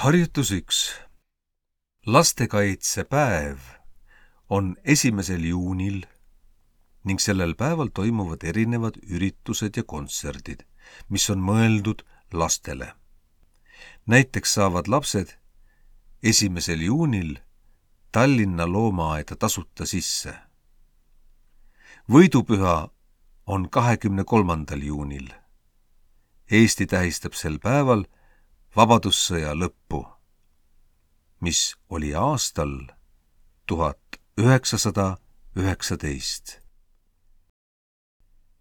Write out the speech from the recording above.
Harjutus 1. Lastekaitsepäev on 1. juunil ning sellel päeval toimuvad erinevad üritused ja kontserdid, mis on mõeldud lastele. Näiteks saavad lapsed 1. juunil Tallinna loomaaeda tasuta sisse. Võidupüha on 23. juunil. Eesti tähistab sel päeval Vabadussõja lõppu, mis oli aastal 1919.